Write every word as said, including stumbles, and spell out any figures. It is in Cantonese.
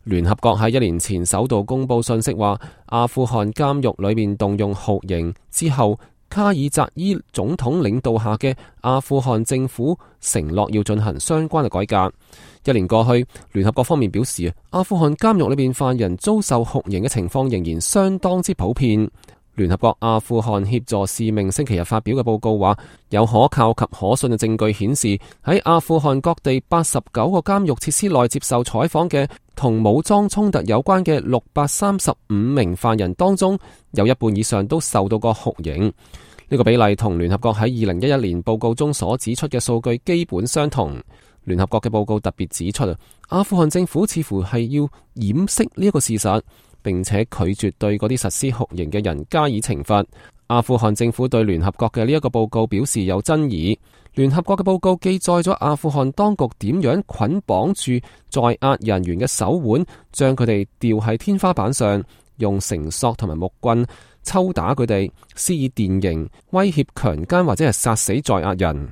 聯合國喺一年前首度公布信息話，阿富汗監獄裏面動用酷刑之後，卡爾扎伊總統領導下嘅阿富汗政府承諾要進行相關嘅改革。一年過去，聯合國方面表示，阿富汗監獄裏面犯人遭受酷刑嘅情況仍然相當之普遍。聯合國阿富汗協助使命星期日發表嘅報告話，有可靠及可信嘅證據顯示，喺阿富汗各地八十九個監獄設施內接受採訪嘅同武裝衝突有關嘅六百三十五名犯人當中，有一半以上都受到過酷刑。呢個比例同聯合國喺二零一一年報告中所指出嘅數據基本相同。聯合國嘅報告特別指出，阿富汗政府似乎係要掩飾呢一個事實，並且拒絕對嗰啲實施酷刑嘅人加以懲罰。阿富汗政府對聯合國嘅呢一個報告表示有爭議。聯合國嘅報告記載咗阿富汗當局點樣捆綁住在押人員嘅手腕，將佢哋吊喺天花板上，用繩索同埋木棍抽打佢哋，施以電刑，威脅強姦或者係殺死在押人。